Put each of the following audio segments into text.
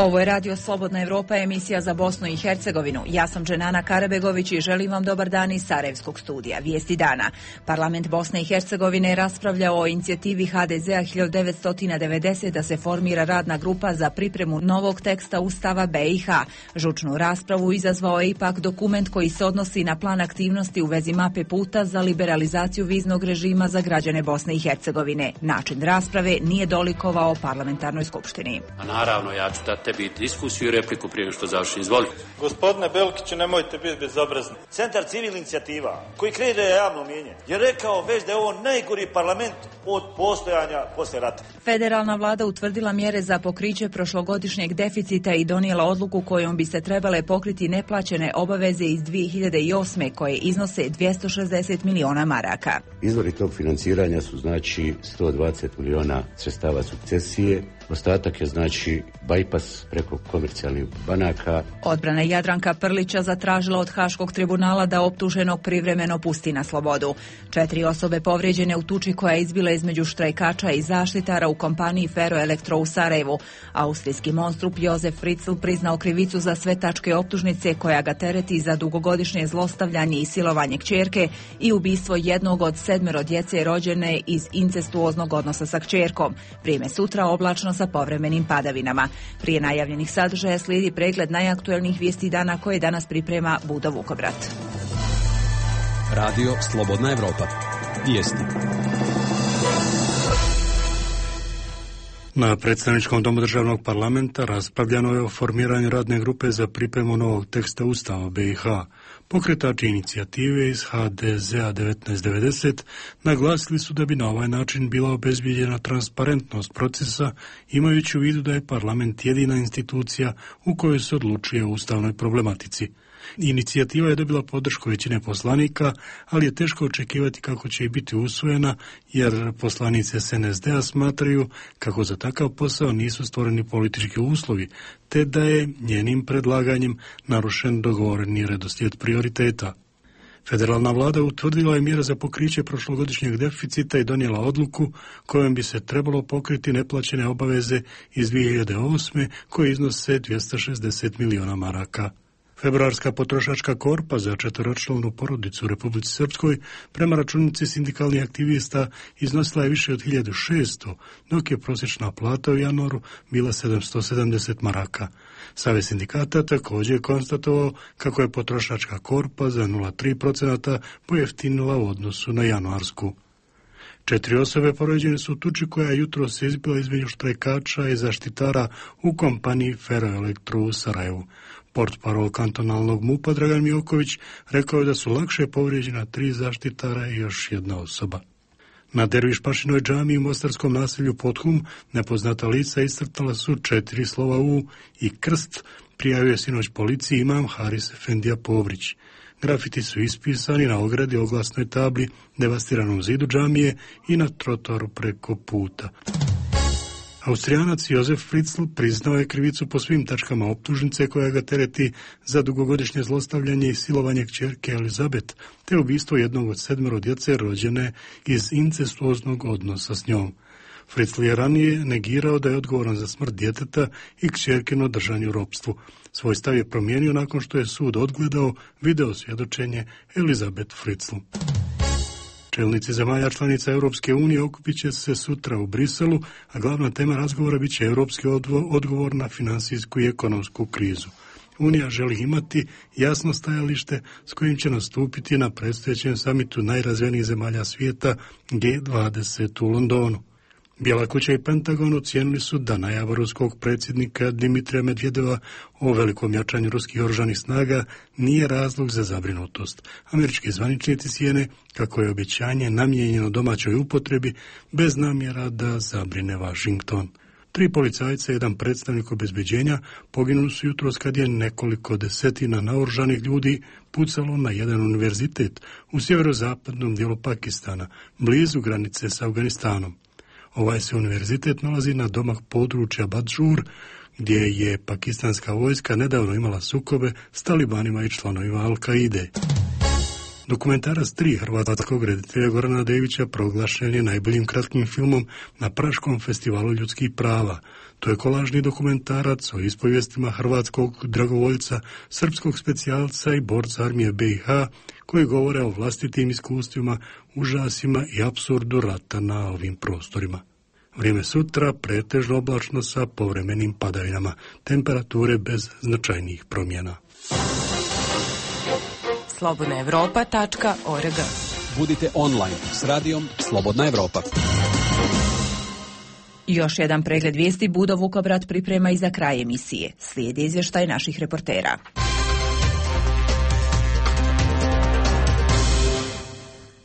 Ovo je Radio Slobodna Evropa, emisija za Bosnu i Hercegovinu. Ja sam Dženana Karabegović i želim vam dobar dan iz Sarajevskog studija. Vijesti dana. Parlament Bosne i Hercegovine je raspravljao o inicijativi HDZ-a 1990 da se formira radna grupa za pripremu novog teksta Ustava BiH. Žučnu raspravu izazvao je ipak dokument koji se odnosi na plan aktivnosti u vezi mape puta za liberalizaciju viznog režima za građane Bosne i Hercegovine. Način rasprave nije dolikovao parlamentarnoj skupštini. A naravno, ja ću dati tebi diskusiju i repliku prije što završim. Izvoli. Gospodine Belkiću, nemojte biti bezobrazni. Centar civilnih inicijativa, koji kreira javno mnijenje, je rekao već da je ovo najgori parlament od postojanja posle rata. Federalna vlada utvrdila mjere za pokriće prošlogodišnjeg deficita i donijela odluku kojom bi se trebale pokriti neplaćene obaveze iz 2008. koje iznose 260 miliona maraka. Izvori tog financiranja su znači 120 miliona sredstava sukcesije. Ostatak je znači bajpas preko komercijalnih banaka. Odbrana Jadranka Prlića zatražila od Haškog tribunala da optuženog privremeno pusti na slobodu. 4 osobe povrijeđene u tuči koja je izbila između štrajkača i zaštitara u kompaniji Ferroelektro u Sarajevu. Austrijski monstrup Josef Fritzl priznao krivicu za sve tačke optužnice koja ga tereti za dugogodišnje zlostavljanje i silovanje kćerke i ubistvo jednog od 7 djece rođene iz incestuoznog odnosa sa kćerkom. Vrijeme sutra oblačno sa povremenim padavinama. Prije najavljenih sadržaja slijedi pregled najaktuelnijih vijesti dana koje danas priprema Budo Vukovrat. Radio Slobodna Evropa. Vijesti. Na predstavničkom domu državnog parlamenta raspravljano je o formiranju radne grupe za pripremu novog teksta Ustava BiH. Pokretači inicijative iz HDZ-a 1990 naglasili su da bi na ovaj način bila obezbijeđena transparentnost procesa, imajući u vidu da je parlament jedina institucija u kojoj se odlučuje o ustavnoj problematici. Inicijativa je dobila podršku većine poslanika, ali je teško očekivati kako će i biti usvojena, jer poslanici SNSD-a smatraju kako za takav posao nisu stvoreni politički uslovi, te da je njenim predlaganjem narušen dogovoreni redoslijed prioriteta. Federalna vlada utvrdila je mjere za pokriće prošlogodišnjeg deficita i donijela odluku kojom bi se trebalo pokriti neplaćene obaveze iz 2008. koje iznose 260 miliona maraka. Februarska potrošačka korpa za 4-članu porodicu u Republici Srpskoj prema računici sindikalnih aktivista iznosila je više od 1600, dok je prosječna plata u januaru bila 770 maraka. Savez sindikata također je konstatovao kako je potrošačka korpa za 0,3% pojeftinila u odnosu na januarsku. 4 osobe povrijeđene su u tuči koja je jutros se izbila između štrajkača i zaštitara u kompaniji Ferroelektro u Sarajevu. Portparol kantonalnog MUP-a Dragan Mijoković rekao je da su lakše povrijeđena 3 zaštitara i još 1 osoba. Na Dervišpašinoj džamiji u mostarskom naselju Podhum nepoznata lica iscrtala su 4 slova U i krst, prijavio je sinoć policiji imam Haris Efendija Povrić. Grafiti su ispisani na ogradi, oglasnoj tabli, devastiranom zidu džamije i na trotoaru preko puta. Austrijanac Josef Fritzl priznao je krivicu po svim tačkama optužnice koja ga tereti za dugogodišnje zlostavljanje i silovanje kćerke Elizabet, te ubistvo jednog od 7 djece rođene iz incestuoznog odnosa s njom. Fritzl je ranije negirao da je odgovoran za smrt djeteta i kćerkino držanje u ropstvu. Svoj stav je promijenio nakon što je sud odgledao video svjedočenje Elizabet Fritzl. Čelnici zemalja članica Europske unije okupit će se sutra u Briselu, a glavna tema razgovora bit će europski odgovor na finansijsku i ekonomsku krizu. Unija želi imati jasno stajalište s kojim će nastupiti na predstojećem samitu najrazvijenijih zemalja svijeta G20 u Londonu. Bijela kuća i Pentagon ocijenili su da najava ruskog predsjednika Dimitrija Medvedeva o velikom jačanju ruskih oružanih snaga nije razlog za zabrinutost. Američki zvaničnici cijene kako je obećanje namijenjeno domaćoj upotrebi bez namjera da zabrine Washington. 3 policajca i 1 predstavnik obezbeđenja poginuli su jutros kad je nekoliko desetina naoružanih ljudi pucalo na jedan univerzitet u sjeverozapadnom dijelu Pakistana, blizu granice s Afganistanom. Ovaj se univerzitet nalazi na domak područja Badžur, gdje je pakistanska vojska nedavno imala sukobe s talibanima i članovima Al-Kaide. Dokumentarac 3 hrvatskog reditelja Gorana Devića proglašen je najboljim kratkim filmom na Praškom festivalu ljudskih prava. To je kolažni dokumentarac o ispovijestima hrvatskog dragovoljca, srpskog specijalca i borca armije BiH, koji govore o vlastitim iskustvima, užasima i apsurdu rata na ovim prostorima. Vrijeme sutra pretežno oblačno sa povremenim padavinama, temperature bez značajnijih promjena. slobodnaevropa.org. Budite online s radijom Slobodna Evropa. Još jedan pregled vijesti Budo Vukobrat priprema i za kraj emisije. Slijedi izvještaj naših reportera.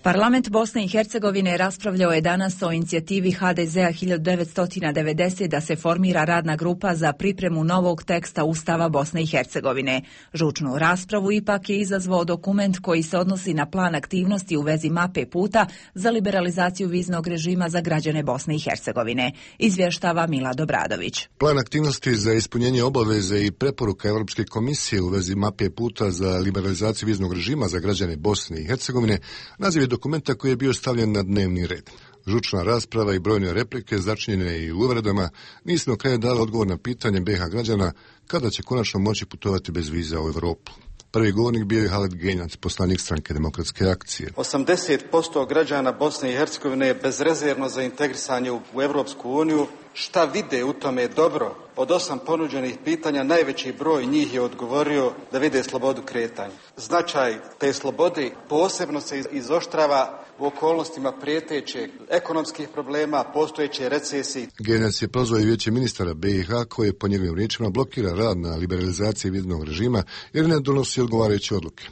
Parlament Bosne i Hercegovine raspravljao je danas o inicijativi HDZ-a 1990 da se formira radna grupa za pripremu novog teksta Ustava Bosne i Hercegovine. Žučnu raspravu ipak je izazvao dokument koji se odnosi na plan aktivnosti u vezi mape puta za liberalizaciju viznog režima za građane Bosne i Hercegovine. Izvještava Milad Obradović. Plan aktivnosti za ispunjenje obaveze i preporuka Europske komisije u vezi mape puta za liberalizaciju viznog režima za građane Bosne i Hercegovine naziv je dokumenta koji je bio stavljen na dnevni red. Žučna rasprava i brojne replike, začinjene i uvredama, nisu na kraju dali odgovor na pitanje BiH građana kada će konačno moći putovati bez viza u Europu. Prvi govornik bio je Halid Genjac, poslanik Stranke demokratske akcije. 80% građana Bosne i Hercegovine je bezrezervno za integrisanje u Europsku uniju. Šta vide u tome dobro? Od 8 ponuđenih pitanja najveći broj njih je odgovorio da vide slobodu kretanja. Značaj te slobode posebno se izoštrava u okolnostima prijetećeg ekonomskih problema, postojeće recesije. Genjac je prozvao i vijeće ministara BiH koje po njegovim riječima blokira rad na liberalizaciji viznog režima jer ne donosi odgovarajuće odluke.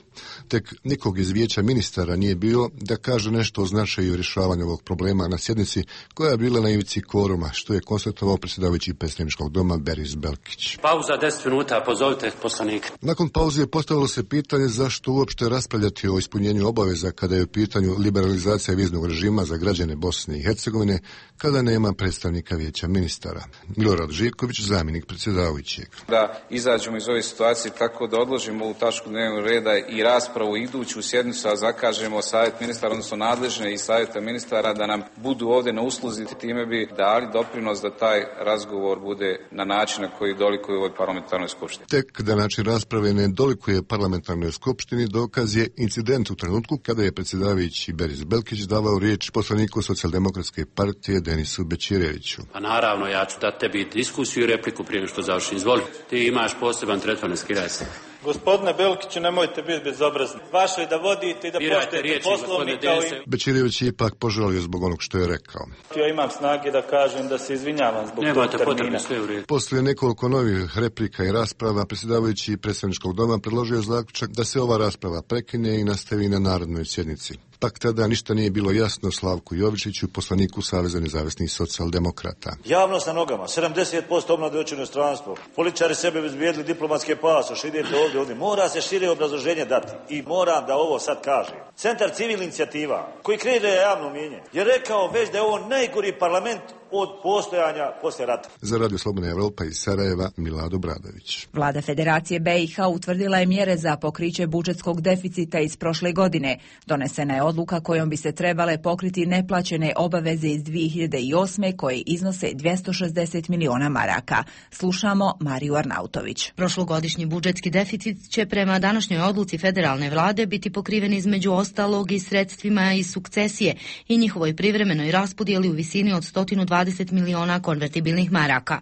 Tek nikog iz vijeća ministara nije bilo da kaže nešto o značaju rješavanja ovog problema na sjednici koja je bila na ivici kvoruma, što je konstatovao predsjedavajući predstavničkog doma Beris Belkić. Pauza 10 minuta, pozovite poslanika. Nakon pauze je postavilo se pitanje zašto uopšte raspravljati o ispunjenju obaveza kada je u pitanju liberalizacija viznog režima za građane Bosne i Hercegovine, kada nema predstavnika vijeća ministara. Milorad Živković, zamjenik predsjedavajućeg. Da izađemo iz ove situacije tako da odložimo ovu tačku dnevnog reda i raspravu iduću sjednicu, a zakažemo savjet ministara, odnosno nadležne i savjeta ministara da nam budu ovdje na usluzi, time bi dali doprinos da taj razgovor bude na način na koji dolikuje ovoj parlamentarnoj skupštini. Tek da način rasprave ne dolikuje parlamentarnoj skupštini dokaz je incident u trenutku kada je predsjedavajući Beris Belkić davao riječ poslaniku Socijaldemokratske partije Denisu Bećireviću. Pa naravno, ja ću dati tebi diskusiju i repliku prije što završim. Izvoli, ti imaš poseban tretman, ne skiraj se. Gospodine Belkiću, nemojte biti bezobrazni. Vaše je da vodite i da poštujete Poslovnik kao i... Bećirević je ipak požalio zbog onog što je rekao. Ja imam snage da kažem da se izvinjavam zbog tog termina. Poslije nekoliko novih replika i rasprava, predsjedavajući predstavničkog doma predložio je zaključak da se ova rasprava prekine i nastavi na narodnoj sjednici. Pak tada ništa nije bilo jasno Slavku Jovičiću, poslaniku Saveza nezavisnih socijaldemokrata. Javnost na nogama, 70% omlade otišlo u inostranstvo. Političari sebe bezbijedili diplomatske pasoše, idete ovdje. Mora se šire obrazloženje dati. I moram da ovo sad kažem. Centar civilnih inicijativa, koji kreira javno mnijenje, je rekao već da je ovo najgori parlament od postojanja poslije rata. Za Radio Slobodna Evropa iz Sarajeva, Milad Obradović. Vlada Federacije BiH utvrdila je mjere za pokriće budžetskog deficita iz prošle godine. Donesena je odluka kojom bi se trebale pokriti neplaćene obaveze iz 2008. koje iznose 260 miliona maraka. Slušamo Mariju Arnautović. Prošlogodišnji budžetski deficit će prema današnjoj odluci federalne vlade biti pokriven između ostalog i sredstvima iz sukcesije i njihovoj privremenoj raspodjeli u visini od 120 miliona konvertibilnih maraka.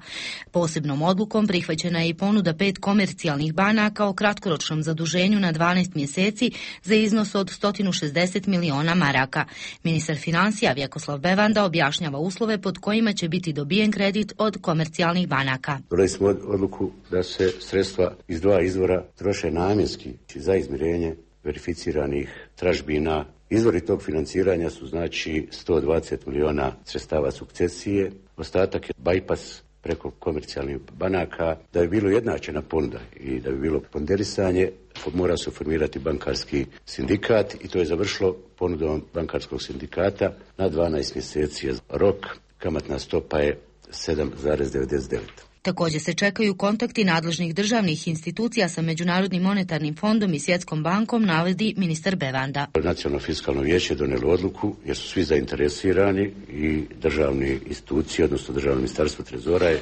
Posebnom odlukom prihvaćena je i ponuda 5 komercijalnih banaka o kratkoročnom zaduženju na 12 mjeseci za iznos od 160 miliona maraka. Ministar financija Vjekoslav Bevanda objašnjava uslove pod kojima će biti dobijen kredit od komercijalnih banaka. Donijeli smo odluku da se sredstva iz 2 izvora troše namjenski za izmirenje verificiranih tražbina. Izvori tog financiranja su znači 120 miliona sredstava sukcesije, ostatak je bypass preko komercijalnih banaka. Da bi bilo jednačena ponuda i da bi bilo ponderisanje, mora se formirati bankarski sindikat i to je završilo ponudom bankarskog sindikata na 12 mjeseci. Rok, kamatna stopa je 7,99. Također se čekaju kontakti nadležnih državnih institucija sa Međunarodnim monetarnim fondom i Svjetskom bankom, navodi ministar Bevanda. Nacionalno fiskalno vijeće je donijelo odluku jer su svi zainteresirani i državne institucije, odnosno državno ministarstvo trezora je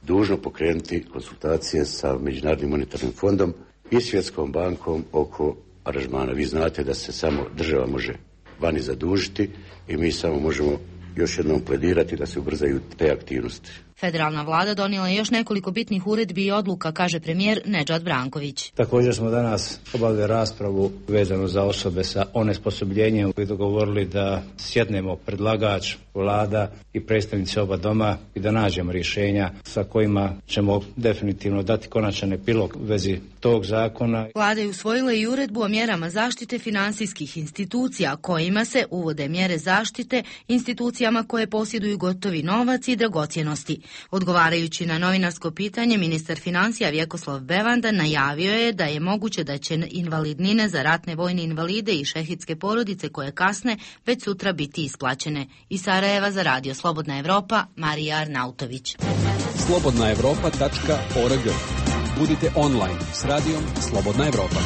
dužno pokrenuti konsultacije sa Međunarodnim monetarnim fondom i Svjetskom bankom oko aranžmana. Vi znate da se samo država može vani zadužiti i mi samo možemo još jednom pledirati da se ubrzaju te aktivnosti. Federalna vlada donijela je još nekoliko bitnih uredbi i odluka, kaže premijer Nedžad Branković. Također smo danas obavili raspravu vezanu za osobe sa onesposobljenjem i dogovorili da sjednemo predlagač, vlada i predstavnici oba doma i da nađemo rješenja sa kojima ćemo definitivno dati konačan epilog u vezi tog zakona. Vlada je usvojila i uredbu o mjerama zaštite financijskih institucija, kojima se uvode mjere zaštite institucijama koje posjeduju gotovi novac i dragocjenosti. Odgovarajući na novinarsko pitanje, ministar financija Vjekoslav Bevanda najavio je da je moguće da će invalidnine za ratne vojne invalide i šehidske porodice koje kasne već sutra biti isplaćene. Iz Sarajeva za Radio Slobodna Evropa, Marija Arnautović. slobodnaevropa.org. Budite online s radijom Slobodna Evropa.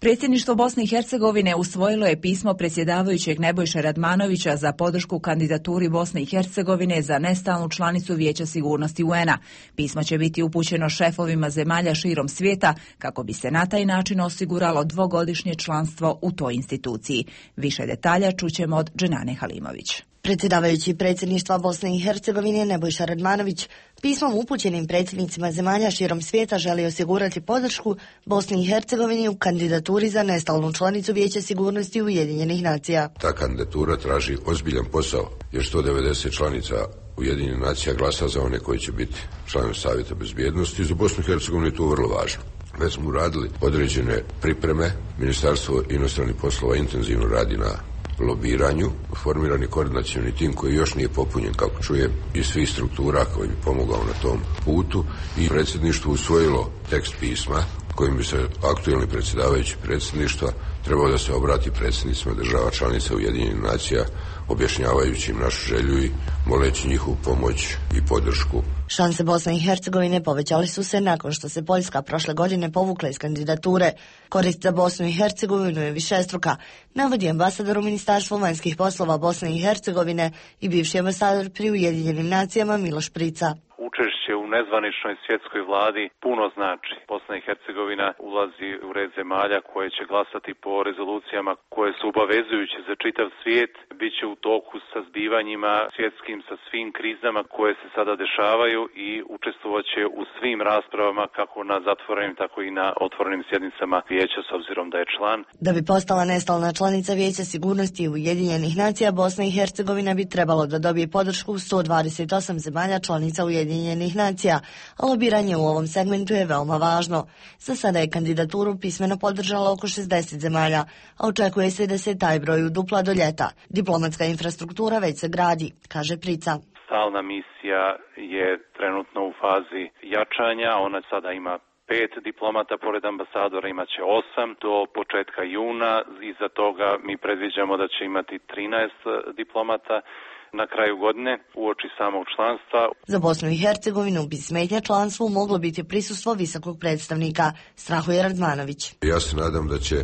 Predsjedništvo Bosne i Hercegovine usvojilo je pismo predsjedavajućeg Nebojše Radmanovića za podršku kandidaturi Bosne i Hercegovine za nestalnu članicu Vijeća sigurnosti UN-a. Pismo će biti upućeno šefovima zemalja širom svijeta kako bi se na taj način osiguralo dvogodišnje članstvo u toj instituciji. Više detalja čućemo od Dženane Halimović. Predsjedavajući predsjedništva Bosne i Hercegovine Nebojša Radmanović pismom upućenim predsjednicima zemalja širom svijeta želi osigurati podršku Bosni i Hercegovini u kandidaturi za nestalnu članicu Vijeća sigurnosti Ujedinjenih nacija. Ta kandidatura traži ozbiljan posao jer 190 članica Ujedinjenih nacija glasa za one koji će biti članovi Savjeta bezbjednosti. Za Bosnu i Hercegovinu je to vrlo važno. Već smo uradili određene pripreme. Ministarstvo inostranih poslova intenzivno radi na lobiranju, formiran je koordinacioni tim koji još nije popunjen, kako čujem, iz svih struktura koji bi pomogao na tom putu i predsjedništvo usvojilo tekst pisma kojim bi se aktualni predsjedavajući predsjedništva trebao da se obrati predsjednicima država članica Ujedinjenih nacija, objašnjavajući im našu želju i moleći njihovu pomoć i podršku. Šanse Bosne i Hercegovine povećali su se nakon što se Poljska prošle godine povukla iz kandidature. Korist za Bosnu i Hercegovinu je višestruka, navodi ambasador u Ministarstvu vanjskih poslova Bosne i Hercegovine i bivši ambasador pri Ujedinjenim nacijama Miloš Prica. Učešće u nezvaničnoj svjetskoj vladi puno znači. Bosna i Hercegovina ulazi u red zemalja koje će glasati po rezolucijama koje su obavezujuće za čitav svijet. Biće u toku sa zbivanjima svjetskim, sa svim krizama koje se sada dešavaju i učestvovaće u svim raspravama kako na zatvorenim tako i na otvorenim sjednicama vijeća s obzirom da je član. Da bi postala nestalna članica Vijeća sigurnosti Ujedinjenih nacija, Bosna i Hercegovina bi trebalo da dobije podršku 128 zemalja članica Ujedinjenih nacija, a lobiranje u ovom segmentu je veoma važno. Za sada je kandidaturu pismeno podržalo oko 60 zemalja, a očekuje se da se taj broj udupla do ljeta. Diplomatska infrastruktura već se gradi, kaže Prica. Stalna misija je trenutno u fazi jačanja, ona sada ima 5 diplomata, pored ambasadora imaće 8 do početka juna, iza toga mi predviđamo da će imati 13 diplomata na kraju godine uoči samog članstva. Za Bosnu i Hercegovinu bi smetnja članstvu moglo biti prisustvo visokog predstavnika, strahuje Radmanović. Ja se nadam da će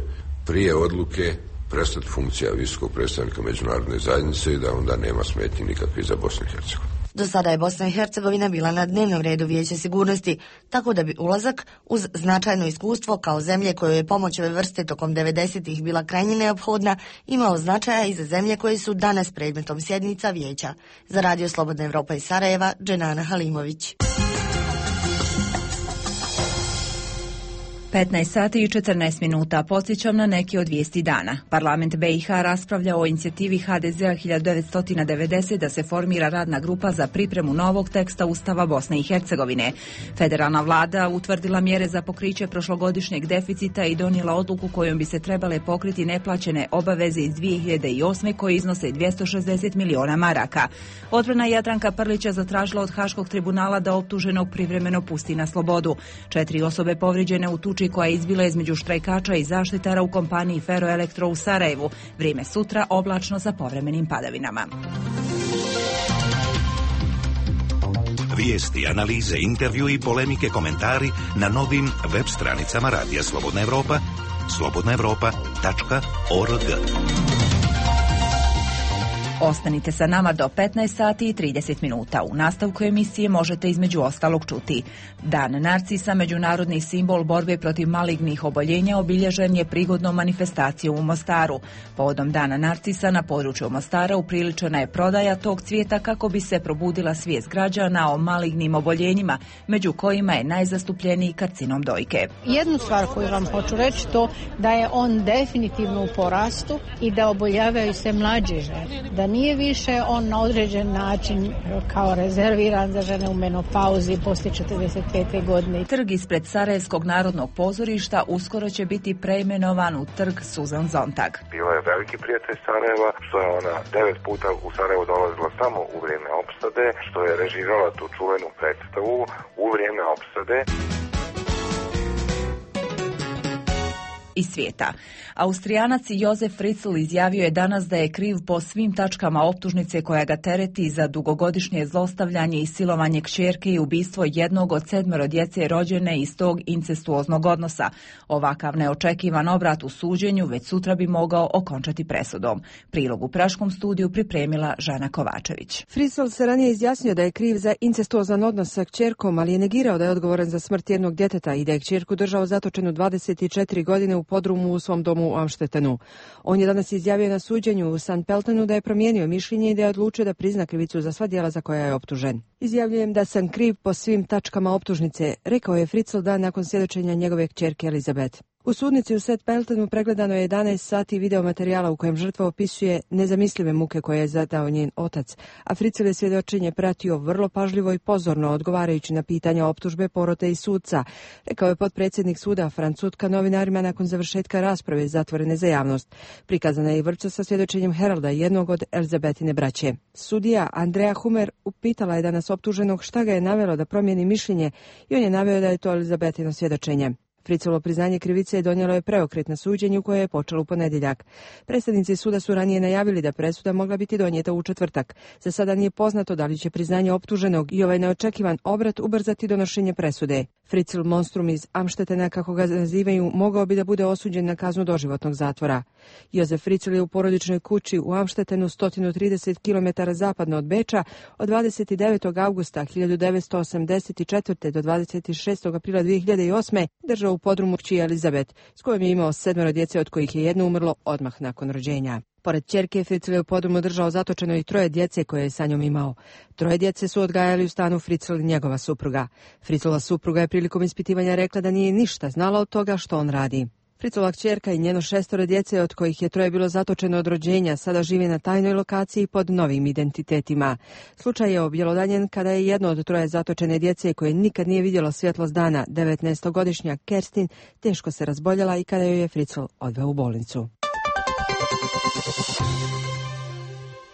prije odluke prestati funkcija visokog predstavnika međunarodne zajednice i da onda nema smetnji nikakve za Bosnu i Hercegovinu. Do sada je Bosna i Hercegovina bila na dnevnom redu Vijeća sigurnosti, tako da bi ulazak uz značajno iskustvo kao zemlje kojoj je pomoć ove vrste tokom 90-ih bila krajnje neophodna, imao značaja i za zemlje koje su danas predmetom sjednica Vijeća. Za Radio Slobodna Evropa iz Sarajeva, Dženana Halimović. 15 sati i 14 minuta. Podsjećam na neki od vijesti dana. Parlament BiH raspravlja o inicijativi HDZ-a 1990 da se formira radna grupa za pripremu novog teksta Ustava Bosne i Hercegovine. Federalna vlada utvrdila mjere za pokriće prošlogodišnjeg deficita i donijela odluku kojom bi se trebale pokriti neplaćene obaveze iz 2008. koje iznose 260 miliona maraka. Odbrana Jadranka Prlića zatražila od Haškog tribunala da optuženog privremeno pusti na slobodu. 4 osobe povrijeđene u tuči koja je izbila između štrajkača i zaštitara u kompaniji Ferroelektro u Sarajevu. Vrijeme sutra oblačno sa povremenim padavinama. Vijesti, analize, intervju i polemike, komentari na novim web stranicama Radija Slobodna Evropa, slobodnaevropa.org. Ostanite sa nama do 15 sati i 30 minuta. U nastavku emisije možete između ostalog čuti: Dan narcisa, međunarodni simbol borbe protiv malignih oboljenja, obilježen je prigodnom manifestacijom u Mostaru. Povodom Dana narcisa na području Mostara upriličena je prodaja tog cvijeta kako bi se probudila svijest građana o malignim oboljenjima, među kojima je najzastupljeniji karcinom dojke. Jednu stvar koju vam hoću reći to da je on definitivno u porastu i da oboljavaju se mlađe žene. Da nije više on na određen način kao rezerviran za žene u menopauzi poslije 45. godine. Trg ispred Sarajevskog narodnog pozorišta uskoro će biti preimenovan u trg Susan Zontag. Bila je veliki prijatelj Sarajeva, što je ona 9 puta u Sarajevo dolazila samo u vrijeme opsade, što je režirala tu čuvenu predstavu u vrijeme opsade. Iz svijeta. Austrijanac Josef Fritzl izjavio je danas da je kriv po svim tačkama optužnice koja ga tereti za dugogodišnje zlostavljanje i silovanje kćerke i ubistvo jednog od 7 djece rođene iz tog incestuoznog odnosa. Ovakav neočekivan obrat u suđenju već sutra bi mogao okončati presudom. Prilog u Praškom studiju pripremila Žana Kovačević. Fritzl se ranije izjasnio da je kriv za incestuozan odnos sa kćerkom, ali je negirao da je odgovoran za smrt jednog djeteta i da je kćerku držao zatočenu 24 godine u podrumu u svom domu u Amštetenu. On je danas izjavio na suđenju u St. Pöltenu da je promijenio mišljenje i da je odlučio da prizna krivicu za sva djela za koja je optužen. Izjavljujem da sam kriv po svim tačkama optužnice, rekao je Fritzl dan nakon svjedočenja njegove kćerke Elizabeth. U sudnici u St. Pöltenu pregledano je 11 sati video materijala u kojem žrtva opisuje nezamislive muke koje je zadao njen otac, a Fritzl je svjedočenje pratio vrlo pažljivo i pozorno odgovarajući na pitanja optužbe, porote i sudca, rekao je potpredsjednik suda Franz Sutka novinarima nakon završetka rasprave zatvorene za javnost. Prikazana je i vrpca sa svjedočenjem Heralda, jednog od Elizabetine braće. Sudija Andrea Humer upitala je danas optuženog šta ga je navelo da promijeni mišljenje i on je naveo da je to Elizabetino svjedočenje. Fritzlovo priznanje krivice donijelo je preokret na suđenju koje je počelo u ponedjeljak. Predstavnici suda su ranije najavili da presuda mogla biti donijeta u četvrtak. Za sada nije poznato da li će priznanje optuženog i ovaj neočekivan obrat ubrzati donošenje presude. Fritzl monstrum iz Amštetena, kako ga nazivaju, mogao bi da bude osuđen na kaznu doživotnog zatvora. Josef Fritzl je u porodičnoj kući u Amštetenu 130 km zapadno od Beča od 29. augusta 1984. do 26. aprila 2008. držao u podrumu kći Elizabeth, s kojom je imao 7 djece, od kojih je jedno umrlo odmah nakon rođenja. Pored ćerke, Fritzl je u podrumu držao zatočeno i 3 djece koje je sa njom imao. 3 djece su odgajali u stanu Fritzl i njegova supruga. Fritzlova supruga je prilikom ispitivanja rekla da nije ništa znala od toga što on radi. Fritzlova kćerka i njeno 6 djece, od kojih je 3 bilo zatočeno od rođenja, sada žive na tajnoj lokaciji pod novim identitetima. Slučaj je objelodanjen kada je jedno od 3 zatočene djece, koje nikad nije vidjelo svjetlost dana, 19-godišnja Kerstin, teško se razboljela i kada joj je Fritzl odveo u bolnicu.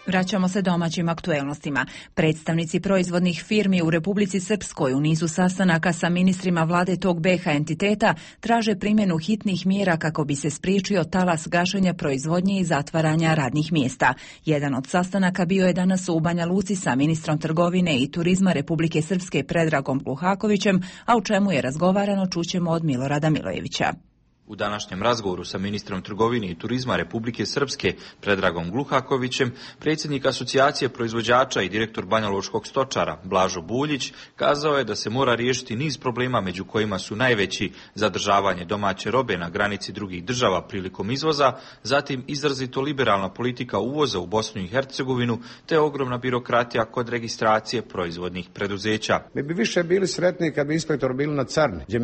Vraćamo se domaćim aktuelnostima. Predstavnici proizvodnih firmi u Republici Srpskoj u nizu sastanaka sa ministrima vlade tog BiH entiteta traže primjenu hitnih mjera kako bi se spriječio talas gašenja proizvodnje i zatvaranja radnih mjesta. Jedan od sastanaka bio je danas u Banja Luci sa ministrom trgovine i turizma Republike Srpske Predragom Gluhakovićem, a u čemu je razgovarano čućemo od Milorada Milojevića. U današnjem razgovoru sa ministrom trgovine i turizma Republike Srpske Predragom Gluhakovićem, predsjednik asocijacije proizvođača i direktor banjalučkog stočara Blažo Buljić kazao je da se mora riješiti niz problema, među kojima su najveći zadržavanje domaće robe na granici drugih država prilikom izvoza, zatim izrazito liberalna politika uvoza u Bosnu i Hercegovinu te ogromna birokratija kod registracije proizvodnih preduzeća. Mi bi više bili sretni kad bi inspektor bili na carni, gdje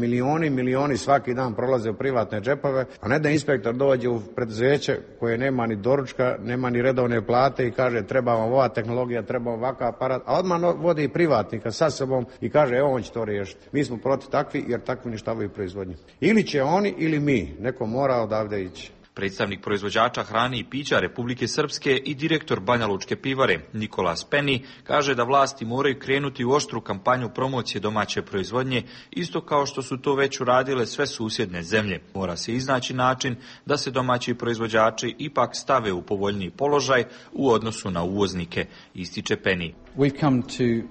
milioni svaki dan prolaze u privatne džepove, a ne da inspektor dođe u preduzeće koje nema ni doručka, nema ni redovne plate i kaže treba vam ova tehnologija, treba vam ovakav aparat, a odmah vodi i privatnika sa sobom i kaže evo on će to riješiti. Mi smo protiv takvi jer takvi uništavaju proizvodnju. Ili će oni ili mi, neko mora odavde ići. Predstavnik proizvođača hrane i pića Republike Srpske i direktor Banjalučke pivare Nikola Speni kaže da vlasti moraju krenuti u oštru kampanju promocije domaće proizvodnje, isto kao što su to već uradile sve susjedne zemlje. Mora se iznaći način da se domaći proizvođači ipak stave u povoljniji položaj u odnosu na uvoznike, ističe Peni. We've come to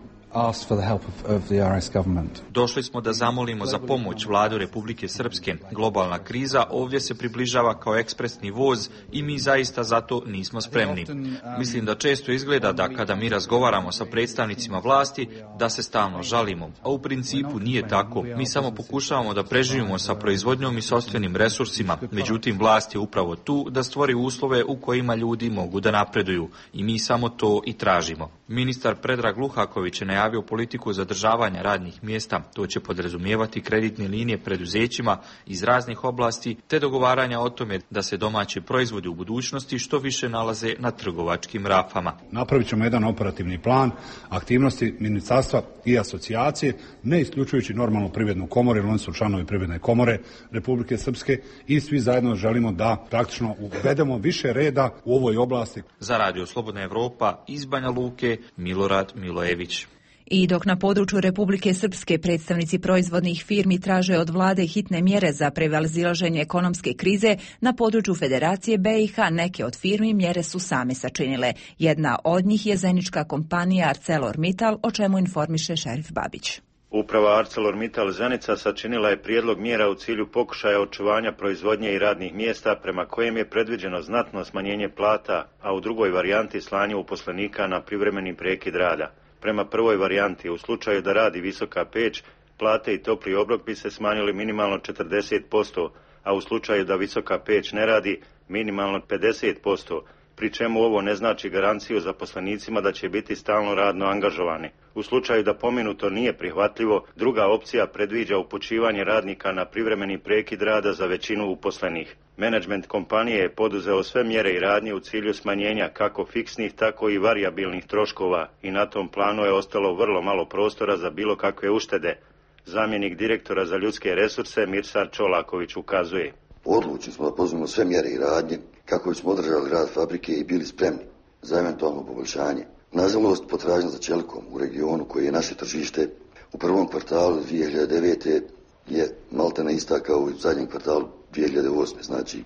Došli smo da zamolimo za pomoć vladu Republike Srpske. Globalna kriza ovdje se približava kao ekspresni voz i mi zaista zato nismo spremni. Mislim da često izgleda da kada mi razgovaramo sa predstavnicima vlasti, da se stalno žalimo, a u principu nije tako. Mi samo pokušavamo da preživimo sa proizvodnjom i sopstvenim resursima, međutim vlast je upravo tu da stvori uslove u kojima ljudi mogu da napreduju i mi samo to i tražimo. Ministar Predrag Luhaković je najavio politiku zadržavanja radnih mjesta. To će podrazumijevati kreditne linije preduzećima iz raznih oblasti te dogovaranja o tome da se domaći proizvodi u budućnosti što više nalaze na trgovačkim rafama. Napravit ćemo jedan operativni plan aktivnosti ministarstva i asocijacije, ne isključujući normalnu privrednu komoru, jer oni su članovi privredne komore Republike Srpske i svi zajedno želimo da praktično uvedemo više reda u ovoj oblasti. Za Radio Slobodna Evropa iz Banja Luke, Milorad Milojević. I dok na području Republike Srpske predstavnici proizvodnih firmi traže od vlade hitne mjere za prevazilaženje ekonomske krize, na području Federacije BiH neke od firmi mjere su same sačinile. Jedna od njih je zajednička kompanija ArcelorMittal, o čemu informiše Šerif Babić. Uprava ArcelorMittal Zenica sačinila je prijedlog mjera u cilju pokušaja očuvanja proizvodnje i radnih mjesta prema kojem je predviđeno znatno smanjenje plata, a u drugoj varijanti slanje uposlenika na privremeni prekid rada. Prema prvoj varijanti, u slučaju da radi visoka peć, plate i topli obrok bi se smanjili minimalno 40%, a u slučaju da visoka peć ne radi, minimalno 50%, pri čemu ovo ne znači garanciju zaposlenicima da će biti stalno radno angažovani. U slučaju da pomenuto nije prihvatljivo, druga opcija predviđa upućivanje radnika na privremeni prekid rada za većinu uposlenih. Menadžment kompanije je poduzeo sve mjere i radnje u cilju smanjenja kako fiksnih, tako i varijabilnih troškova i na tom planu je ostalo vrlo malo prostora za bilo kakve uštede. Zamjenik direktora za ljudske resurse Mirsad Čolaković ukazuje. Odlučni smo da poduzmemo sve mjere i radnje kako bismo održali rad fabrike i bili spremni za eventualno poboljšanje. Nažalost, potražnja za čelikom u regionu koji je naše tržište u prvom kvartalu 2009. je maltene ista kao u zadnjem kvartalu 2008. Znači,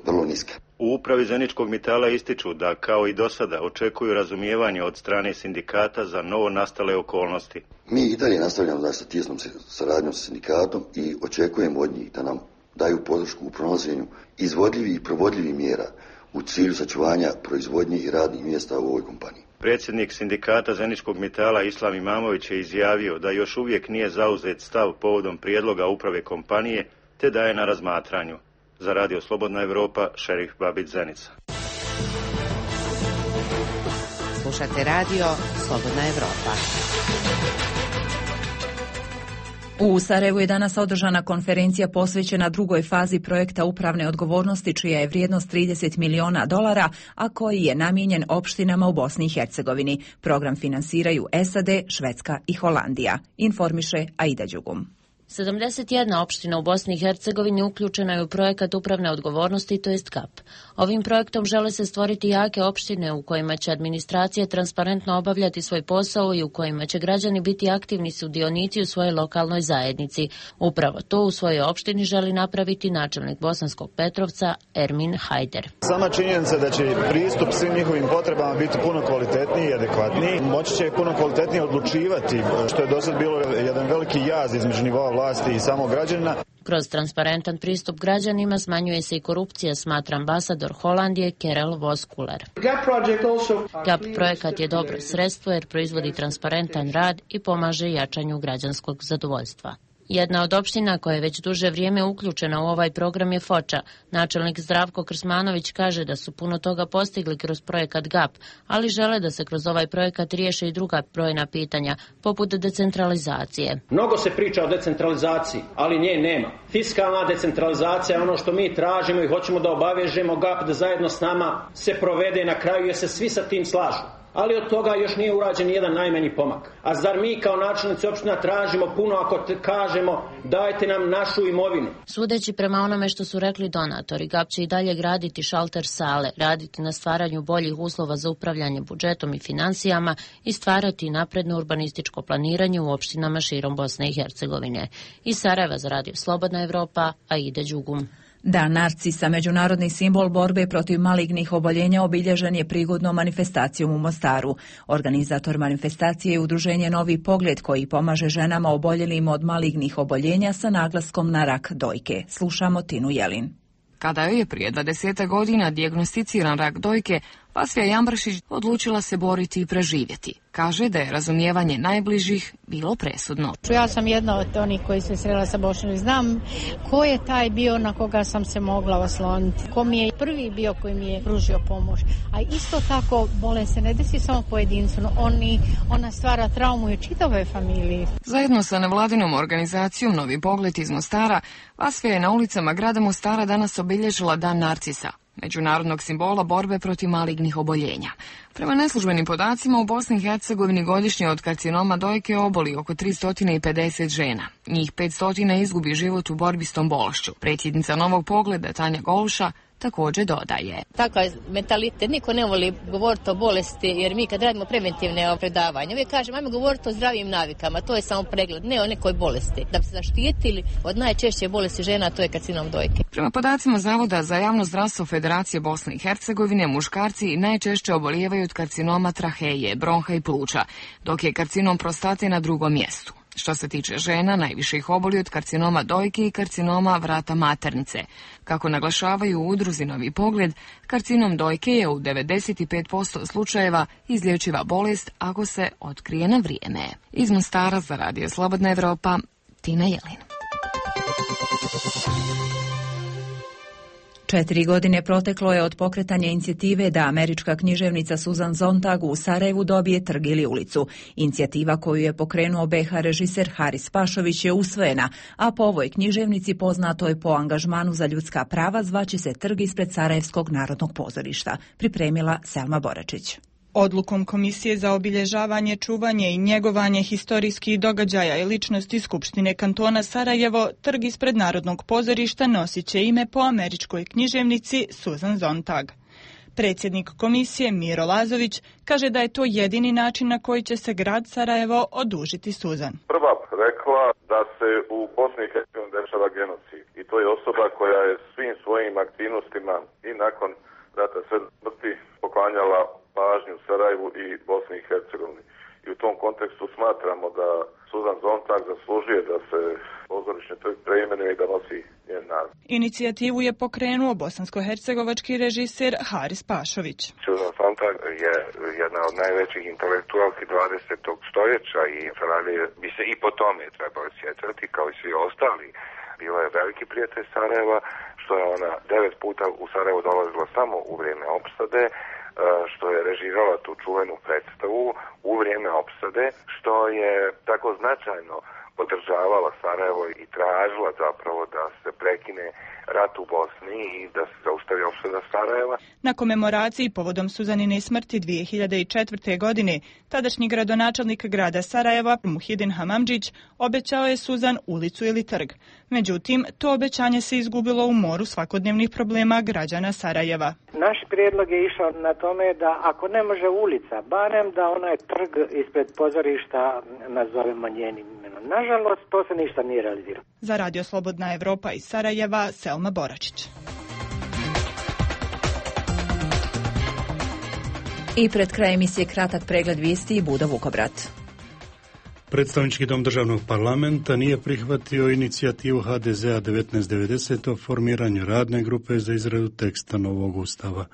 vrlo niska. U upravi Zeničkog Mitala ističu da, kao i do sada, očekuju razumijevanje od strane sindikata za novo nastale okolnosti. Mi i dalje nastavljamo sa tijesnom saradnjom sa sindikatom i očekujemo od njih da nam daju podršku u pronalaženju izvodljivih i provodljivih mjera u cilju sačuvanja proizvodnje i radnih mjesta u ovoj kompaniji. Predsjednik sindikata Zeničkog Mitala Islam Imamović je izjavio da još uvijek nije zauzet stav povodom prijedloga uprave kompanije, te da je na razmatranju. Za Radio Slobodna Evropa, Šerif Babić, Zenica. Slušate Radio Slobodna Evropa. U Sarajevu je danas održana konferencija posvećena drugoj fazi projekta upravne odgovornosti, čija je vrijednost $30 miliona, a koji je namijenjen opštinama u Bosni i Hercegovini. Program finansiraju SAD, Švedska i Holandija, informiše Aida Đugum. 71 opština u Bosni i Hercegovini uključena je u projekat upravne odgovornosti, to jest KAP. Ovim projektom žele se stvoriti jake opštine u kojima će administracija transparentno obavljati svoj posao i u kojima će građani biti aktivni sudionici u svojoj lokalnoj zajednici. Upravo to u svojoj opštini želi napraviti načelnik Bosanskog Petrovca Ermin Hajder. Sama činjenica da će pristup svim njihovim potrebama biti puno kvalitetniji i adekvatniji, moći će puno kvalitetnije odlučivati, što je do sad bilo jedan veliki jaz između nivoa vlasti i samog građana. Kroz transparentan pristup građanima smanjuje se i korupcija, smatra ambasador Holandije Kerel Voskuler. GAP projekat je dobro sredstvo jer proizvodi transparentan rad i pomaže jačanju građanskog zadovoljstva. Jedna od opština koja je već duže vrijeme uključena u ovaj program je Foča. Načelnik Zdravko Krsmanović kaže da su puno toga postigli kroz projekat GAP, ali žele da se kroz ovaj projekat riješe i druga brojna pitanja, poput decentralizacije. Mnogo se priča o decentralizaciji, ali nje nema. Fiskalna decentralizacija je ono što mi tražimo i hoćemo da obavežemo GAP da zajedno s nama se provede na kraju jer se svi sa tim slažu. Ali od toga još nije urađen jedan najmanji pomak. A zar mi kao načelnici opština tražimo puno ako kažemo dajte nam našu imovinu? Sudeći prema onome što su rekli donatori, GAP će i dalje graditi šalter sale, raditi na stvaranju boljih uslova za upravljanje budžetom i financijama i stvarati napredno urbanističko planiranje u opštinama širom Bosne i Hercegovine. Iz Sarajeva za Radio Slobodna Evropa, Aida Đugum. Dan narcisa, međunarodni simbol borbe protiv malignih oboljenja, obilježen je prigodnom manifestacijom u Mostaru. Organizator manifestacije je udruženje Novi pogled koji pomaže ženama oboljelim od malignih oboljenja sa naglaskom na rak dojke. Slušamo Tinu Jelin. Kada joj je prije 20 godina dijagnosticiran rak dojke, Vasfija Jambršić odlučila se boriti i preživjeti. Kaže da je razumijevanje najbližih bilo presudno. Ja sam jedna od onih koji se srela sa Bošnjom. Znam ko je taj bio na koga sam se mogla osloniti. Ko mi je prvi bio koji mi je pružio pomoć. A isto tako bolest se ne desi samo pojedincu. Ona stvara traumu i čitavoj familiji. Zajedno sa nevladinom organizacijom Novi pogled iz Mostara, Vasfija je na ulicama grada Mostara danas obilježila Dan narcisa, međunarodnog simbola borbe protiv malignih oboljenja. Prema neslužbenim podacima u Bosni i Hercegovini godišnje od karcinoma dojke oboli oko 350 žena. Njih 500 izgubi život u borbi s tom bolešću. Predsjednica Novog pogleda Tanja Golša također dodaje. Takav mentalitet, niko ne voli govoriti o bolesti, jer mi kad radimo preventivne predavanja, uvijek kažemo, ajmo govoriti o zdravim navikama, to je samo pregled, ne o nekoj bolesti. Da bi se zaštitili od najčešće bolesti žena, to je karcinom dojke. Prema podacima Zavoda za javno zdravstvo Federacije Bosne i Hercegovine, muškarci najčešće obolijevaju od karcinoma traheje, bronha i pluća, dok je karcinom prostate na drugom mjestu. Što se tiče žena, najviše ih oboli od karcinoma dojke i karcinoma vrata maternice. Kako naglašavaju u udruzi Novi pogled, karcinom dojke je u 95% slučajeva izlječiva bolest ako se otkrije na vrijeme. Iz Mostara za Radio Slobodna Evropa, Tina Jelin. 4 godine proteklo je od pokretanja inicijative da američka književnica Susan Sontag u Sarajevu dobije trg ili ulicu. Inicijativa koju je pokrenuo BiH režiser Haris Pašović je usvojena, a po ovoj književnici, poznatoj po angažmanu za ljudska prava, zvaće se trg ispred Sarajevskog narodnog pozorišta. Pripremila Selma Boračić. Odlukom Komisije za obilježavanje, čuvanje i njegovanje historijskih događaja i ličnosti Skupštine kantona Sarajevo, trg ispred Narodnog pozorišta nosit će ime po američkoj književnici Susan Sontag. Predsjednik komisije Miro Lazović kaže da je to jedini način na koji će se grad Sarajevo odužiti Susan. Prva rekla da se u Bosni i Hercegovini dešava genocid i to je osoba koja je svim svojim aktivnostima i nakon rata sve smrti poklanjala pažnju Sarajevu i Bosni i Hercegovini. I u tom kontekstu smatramo da Susan Sontag zaslužuje da se pozorišni trg preimenuje i da nosi njen naziv. Inicijativu je pokrenuo bosansko-hercegovački režiser Haris Pašović. Susan Sontag je jedna od najvećih intelektualki 20. stoljeća i Sarajevo bi se i po tome trebao sjećati kao i svi ostali. Bila je veliki prijatelj Sarajeva, što je ona 9 puta u Sarajevo dolazila samo u vrijeme opsade, što je režirala tu čuvenu predstavu u vrijeme opsade, što je tako značajno podržavala Sarajevo i tražila zapravo da se prekine rat u Bosni i da se zaustavi opsada Sarajeva. Na komemoraciji povodom Suzanine smrti 2004. godine tadašnji gradonačelnik grada Sarajeva Muhidin Hamamdžić obećao je Suzan ulicu ili trg. Međutim, to obećanje se izgubilo u moru svakodnevnih problema građana Sarajeva. Naš prijedlog je išao na tome da ako ne može ulica, barem da onaj trg ispred pozorišta nazovemo njenim imenom. Nažalost, to se ništa nije realiziralo. Za Radio Slobodna Evropa iz Sarajeva, Selma Boračić. I pred krajem emisije kratak pregled vijesti i Buda Vukobrat. Predstavnički dom državnog parlamenta nije prihvatio inicijativu HDZ-a 1990 o formiranju radne grupe za izradu teksta novog ustava.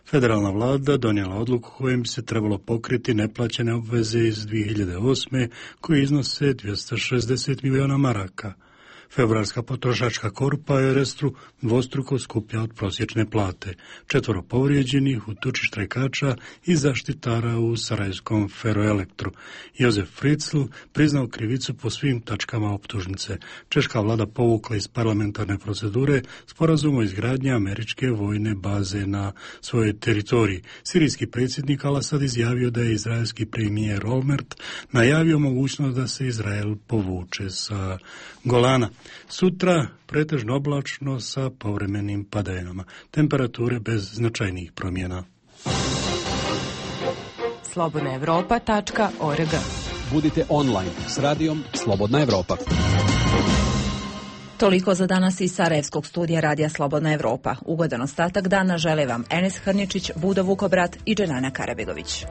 Federalna vlada donijela odluku kojim bi se trebalo pokriti neplaćene obveze iz 2008. koje iznose 260 milijuna maraka. Februarska potrošačka korpa je Restru dvostruko skuplja od prosječne plate. 4 povrijeđenih u tuči štrajkača i zaštitara u sarajevskom Ferroelektru. Jozef Fritzl priznao krivicu po svim tačkama optužnice. Češka vlada povukla iz parlamentarne procedure sporazum o izgradnji američke vojne baze na svojoj teritoriji. Sirijski predsjednik Al-Asad izjavio da je izraelski premijer Olmert najavio mogućnost da se Izrael povuče sa Golana. Sutra pretežno oblačno sa povremenim padavinama. Temperature bez značajnijih promjena. slobodnaevropa.org. Budite online s radijom Slobodna Evropa. Toliko za danas iz Sarajevskog studija Radija Slobodna Evropa. Ugodan ostatak dana žele vam Enes Hrničić, Budo Vukobrat i Dženana Karabegović.